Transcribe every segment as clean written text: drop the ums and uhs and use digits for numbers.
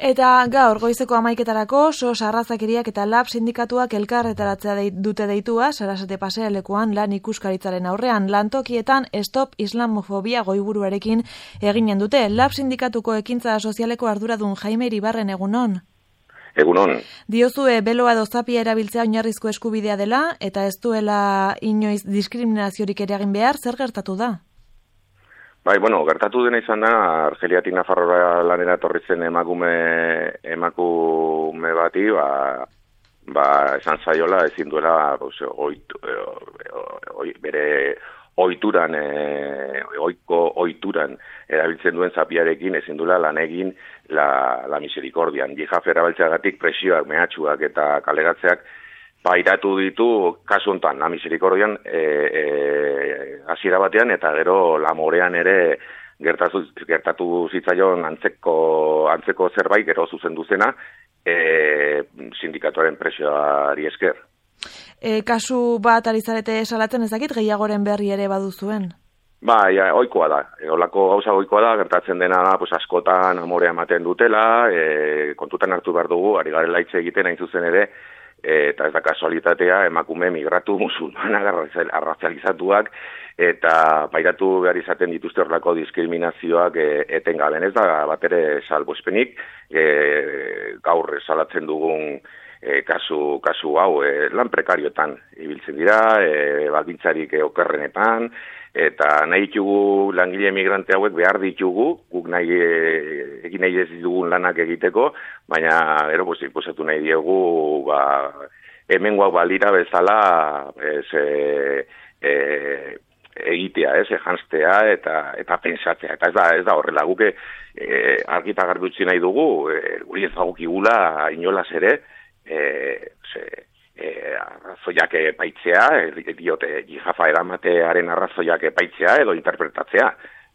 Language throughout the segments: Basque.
Eta gaur goizeko 11:00 SOS Arrazakeriak eta LAB sindikatuak elkarretaratzea dute deitua Sarasate pasealekuan lan ikuskaritzaren aurrean. Lantokietan Stop Islamofobia goiburuarekin eginen dute. LAB sindikatuko ekintza sozialeko arduradun Jaime Iribarren egunon. Egunon. Diozue beloa edo zapia erabiltzea oinarrizko eskubidea dela eta ez duela inoiz diskriminaziorik ere egin behar, zer gertatu da? Bai, gertatu dena izan da, Argeliatik Nafarroa lanera etorri zen emakume bati, esan zaiola ezin duela bere ohituran erabiltzen duen zapiarekin ezin duela lan egin la misericordian. Jihaf erabiltzeagatik presioak, mehatxuak eta kaleratzeak pairatu ditu kasu honetan, la misericordian hasiera batean eta gero la morean ere gertatu zitzaion antzeko zerbait gero zuzendu zena sindikatuaren presioari esker. Kasu bat ari zarete salatzen ezakit gehiagoren berri ere baduzuen? Bai, ohikoa da. Olako gauza ohikoa da, gertatzen dena da, askotan amorea ematen dutela, kontutan hartu behar dugu, ari garela hitz egiten hain zuzen ere, eta ez da kasualitatea, emakume migratu musulmanak arrazializatuak, eta pairatu behar izaten dituzte horrelako diskriminazioak etengaben. Ez da bat ere salbuespenik, gaur salatzen dugun kasu hau lan prekarioetan ibiltzen dira, baldintzarik okerrenetan, eta nahi ditugu langile emigrante hauek behar ditugu, guk egin nahi ez dugun lanak egiteko, baina inposatu nahi diegu hemengoak balira bezala egitea, janztea eta pensatzea. Eta ez da horrela, guk argi eta garbi utzi nahi dugu, guri ez dagokigula inolaz ere, arrazoiak epaitzea, diote jihafa eramatearen arrazoiak epaitzea edo interpretatzea.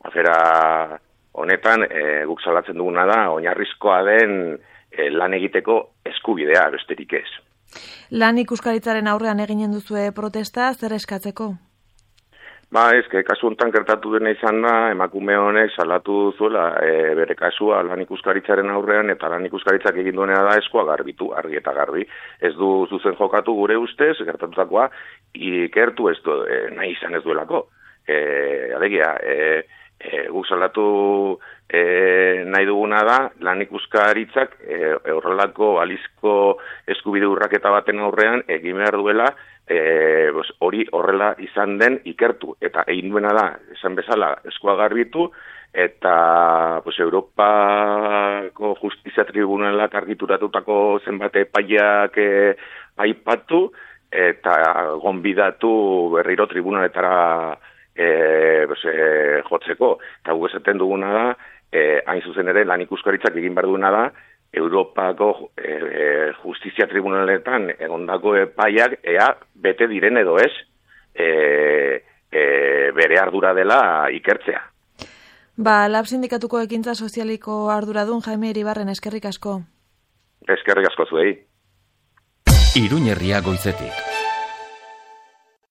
Afera honetan guk salatzen duguna da oinarrizkoa den lan egiteko eskubidea besterik ez. Lan ikuskaritzaren aurrean eginen duzue protesta, zer eskatzeko? Kasu honetan gertatu dena izan da, emakume honek salatu zuela bere kasua lan ikuskaritzaren aurrean, eta lan ikuskaritzak egin duena da eskoa garbitu, argi eta garbi. Ez du zuzen jokatu gure ustez, gertatutakoa, ikertu ez du, nahi izan ez duelako. Alegia, guk salatu nahi duguna da, lan ikuskaritzak horrelako balizko eskubide urraketa baten aurrean egin behar duela, hori horrela izan den ikertu, eta egin duena da, esan bezala, eskua garbitu, eta Europako Justizia Tribunalak argituratutako zenbat epaiak aipatu, eta gonbidatu berriro tribunaletara jotzeko. Eta gu esaten duguna da, hain zuzen ere, lan ikuskaritzak egin behar duena da, Europako Justizia Tribunaletan egondako epaiak ea bete diren edo ez bere ardura dela ikertzea. LAB sindikatuko ekintza sozialiko arduradun Jaime Iribarren eskerrik asko. Eskerrik asko zuei. Iruñerria goizetik.